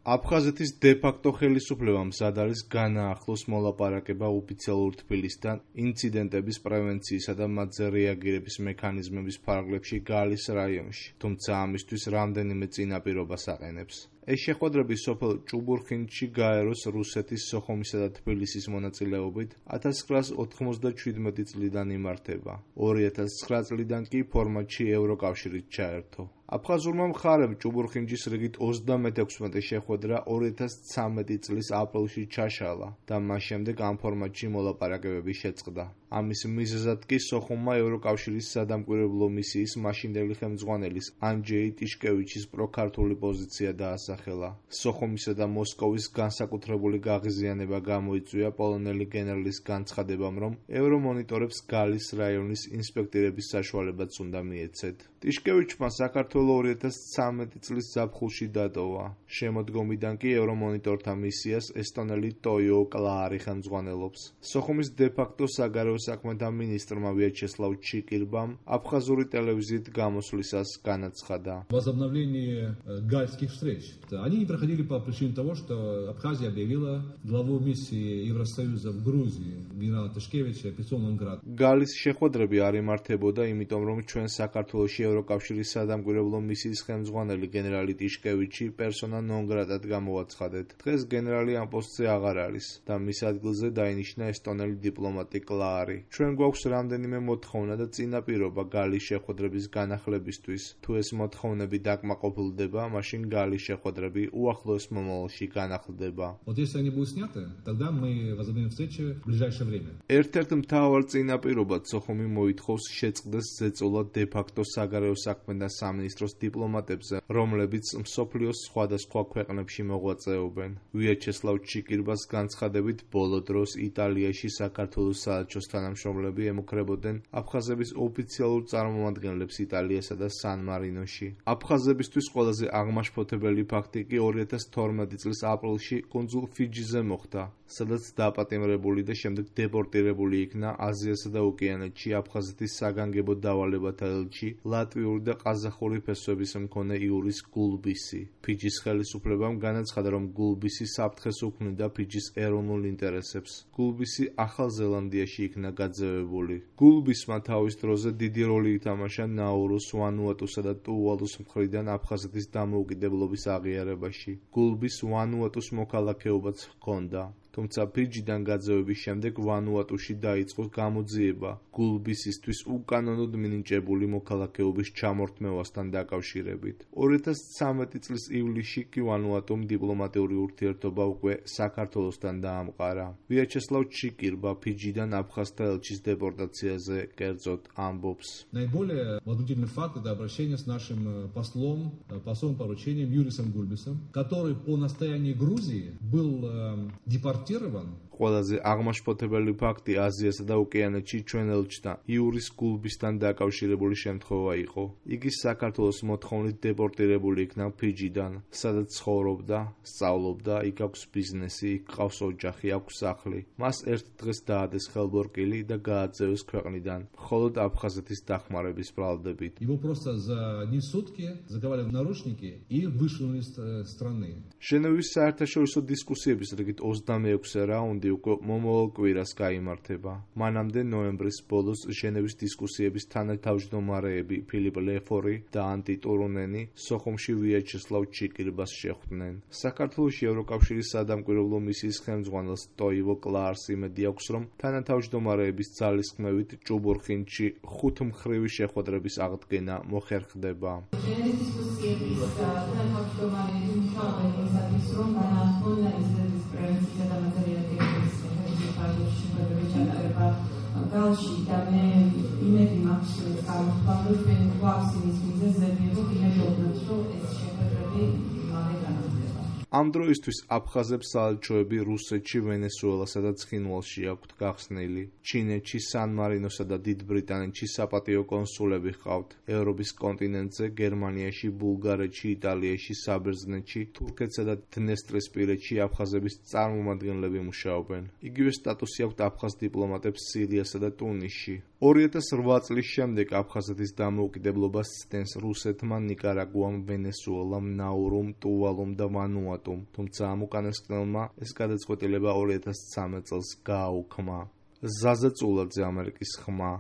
აფხაზეთის დე-ფაქტო ხელისუფლებამ მზად არის განაახლოს მოლაპარაკება ოფიციალურ თბილისთან ინციდენტების პრევენციისა და მათზე რეაგირების მექანიზმების ფარგლებში გალის რაიონში, თუმცა ამისთვის რამდენიმე წინაპირობას აყენებს. ეს შეხვედრები სოფელ ჭუბურხინში გაეროს რუსეთის, სოხუმისა და თბილისის მონაწილეობით 1997 წლიდან იმართება. 2009 წლიდან კი ფორმატში ევროკავშირით ჩაერთო. აფხაზურმა მხარემ ჭუბურხინჯის რიგით 36 შეხვედრა 2013 წლის აპრილში ჩაშალა და მას შემდეგ ამ ფორმატში მოლაპარაკებები შეწყდა. ამის მიზეზად კი სოხუმმა ევროკავშირის სადამკვირვებლო მისიის მაშინდელი ხელმძღვანელის ანჯეი ტიშკევიჩის პროქართული პოზიცია დაასახელა. სოხუმისა და მოსკოვის განსაკუთრებული გაღიზიანება გამოიწვია პოლონელი გენერლის განცხადებამ, რომ ევრომონიტორებს გალის რაიონის ინსპექტირების საშუალებაც უნდა მიეცეთ. ტიშკევიჩმა საქართველოს 2013 წლის ზაფხულში დატოვა. შემოდგომიდან კი ევრომონიტორთა მისიას ესტონელი ტოიო კლაარი ხელმძღვანელობს. სოხუმის დე-ფაქტო საგარეო საქმეთა მინისტრმა ვიაჩესლავ ჩიკირბამ აფხაზური ტელევიზიით გამოსვლისას განაცხადა. Возобновление гальских встреч. Они не проходили по причине того, что Абхазия объявила главу миссии Евросоюза в Грузии генерала Тишкевича операционным градом. გალის შეხვედრები არ იმართებოდა, იმიტომ რომ ჩვენ საქართველოში ევროკავშირის სადამკვირვებლო მისიის ხელმძღვანელი გენერალი ტიშკევიჩი პერსონა ნონ გრატად გამოვაცხადეთ. დღეს გენერალი ამ პოსტზე აღარ არის და მის ადგილზე დაინიშნა ესტონელი დიპლომატი კლაარი. ჩვენ გვაქვს რამდენიმე მოთხოვნა და წინაპირობა გალის შეხვედრების განახლებისთვის. თუ ეს მოთხოვნები დაკმაყოფილდება, მაშინ გალის შეხვედრები უახლოეს მომავალში განახლდება. Вот если они будут сняты, тогда мы возобновим встречи в ближайшее время. ერთ-ერთ მთავარ წინაპირობად სოხუმი მოითხოვს შეწყდეს ზეწოლა დე-ფაქტო საგარეო საქმეთა სამინისტროს დიპლომატებზე, რომლებიც მსოფლიოს სხვადასხვა ქვეყნებში მოღვაწეობენ. ვიაჩესლავ ჩიკირბას განცხადებით, ბოლო დროს იტალიაში საქართველოს საელჩოს თანამშრომლები ემუქრებოდნენ აფხაზების ოფიციალურ წარმომადგენლებს იტალიასა და სან-მარინოში. აფხაზებისთვის ყველაზე აღმაშფოთებელი ფაქტი კი 2012 წლის აპრილში კუნძულ ფიჯიზე მოხდა, სადაც დაპატიმრებული და შემდეგ დეპორტირებული იქნა აზიასა და ოკეანეთში აფხაზეთის საგანგებო დავალებათა ელჩი ლატვიური და ყაზახური ფესვების მქონე იურის გულბისი. ფიჯის ხელისუფლებამ განაცხადა, რომ გულბისი საფრთხეს უქმნიდა ფიჯის ეროვნულ ინტერესებს. გულბისი ახალ ზელანდიაში იქნა გაძევებული. გულბისმა თავის დროზე დიდი როლი ითამაშა ნაურუს, ვანუატუსა და ტუვალუს მხრიდან აფხაზეთის დამოუკიდებლობის აღიარებაში. გულბის ვანუატუს მოქალაქეობაც ჰქონდა. თუმცა ფიჯიდან გაძევების შემდეგ ვანუატუში დაიწყო გამოძიება გულბისისთვის უკანონოდ მინიჭებული მოქალაქეობის ჩამორთმევასთან დაკავშირებით. 2013 წლის ივლისში კი ვანუატუმ დიპლომატიური ურთიერთობა უკვე საქართველოსთან დაამყარა. ვიაჩესლავ ჩიკირბა ფიჯიდან აფხაზთა ელჩის დეპორტაციაზე კერძოდ амбობს. Наиболее возмутительный факт – это обращение с нашим послом поручением Юрисом Гульбисом, который по настоянию Грузии был депортирован. ყველაზე აღმაშფოთებელი ფაქტი აზიასა და ოკეანეთში ჩვენ ელჩთა იურის გულბისთან დაკავშირებული შემთხვევა იყო. იგი საქართველოს მოთხოვნით დეპორტირებული იქნა ფიჯიდან, სადაც ცხოვრობდა, სწავლობდა, იქ აქვს ბიზნესი, იქ ყავს ოჯახი, აქვს სახლი. მას ერთ დღეს დაადეს ხელბორკილი და გააძევეს ქვეყნიდან, მხოლოდ აფხაზეთის დახმარების ბრალდებით. Его просто за одни сутки заковали в наручники и вышвырнули из страны. ჟენევის საერთაშორისო დისკუსიების რიგით 26 რაუნდი უკვე მომავალ კვირას გაიმართება. მანამდე ნოემბრის ბოლოს ჟენევის დისკუსიების თანათავმჯდომარეები ფილიპ ლეფორი და ანტი ტურუნენი სოხუმში ვიაჩესლავ ჩიკირბას შეხვდნენ. საქართველოში ევროკავშირის სადამკვირვებლო მისიის ხელმძღვანელს ტოივო კლაარს იმედი აქვს, რომ თანათავმჯდომარეების ძალისხმევით ჭუბურხინში 5 მხრივი შეხვედრების აღდგენა მოხერხდება. Galში და მე იმედი მაქვს გამოხატვა რომ გვაქვს იმის მიზეზები რომ იმედოვნებთ რომ ეს შეხვედრები მალე განახლდება. ამ დროისთვის აფხაზებს საელჩოები რუსეთში, ვენესუელასა და ცხინვალში აქვთ გახსნილი. ჩინეთში, სან-მარინოსა და დიდ ბრიტანეთში საპატიო კონსულები ჰყავთ. ევროპის კონტინენტზე, გერმანიაში, ბულგარეთში, იტალიაში, საბერძნეთში, თურქეთსა და დნესტრისპირეთში აფხაზების წარმომადგენლები მუშაობენ. იგივე სტატუსი აქვთ აფხაზ დიპლომატებს სირიასა და ტუნისში. 2008 წლის შემდეგ აფხაზეთის დამოუკიდებლობას ცდენს რუსეთმა, ნიკარაგუამ, ვენესუელამ, ნაურუმ, ტუვალუმ და ვანუატუმ. ულტიმატუმ, თუმცა ამ უკანასკნელმა ეს გადაწყვეტილება 2013 წელს გააუქმა. ზაზა წულაძე, ამერიკის ხმა.